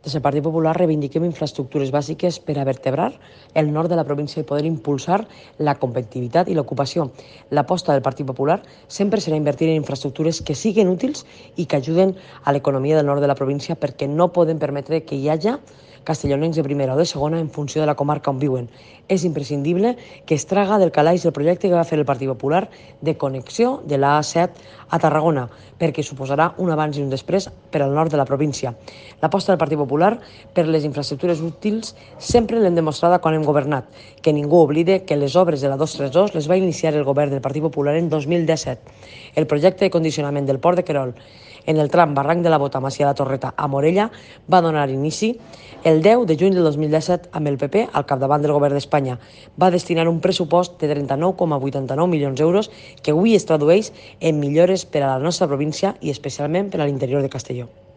Des del Partit Popular reivindiquem infraestructures bàsiques per a vertebrar el nord de la província i poder impulsar la competitivitat i l'ocupació. L'aposta del Partit Popular sempre serà invertir en infraestructures que siguin útils i que ajuden a l'economia del nord de la província, perquè no podem permetre que hi hagi castellonencs de primera o de segona en funció de la comarca on viuen. És imprescindible que es traga del calaix el projecte que va fer el Partit Popular de connexió de la A7 a Tarragona, perquè suposarà un abans i un després per al nord de la província. L'aposta del Partit Popular per les infraestructures útils sempre l'hem demostrada quan hem governat. Que ningú oblide que les obres de la 232 les va iniciar el govern del Partit Popular en 2017. El projecte de condicionament del port de Querol en el tram Barranc de la Bota, Macià de la Torreta a Morella va donar inici el 10 de juny del 2017 amb el PP al capdavant del govern d'Espanya. Va destinar un pressupost de 39,89 milions d'euros que avui es tradueix en millores per a la nostra província i especialment per a l'interior de Castelló.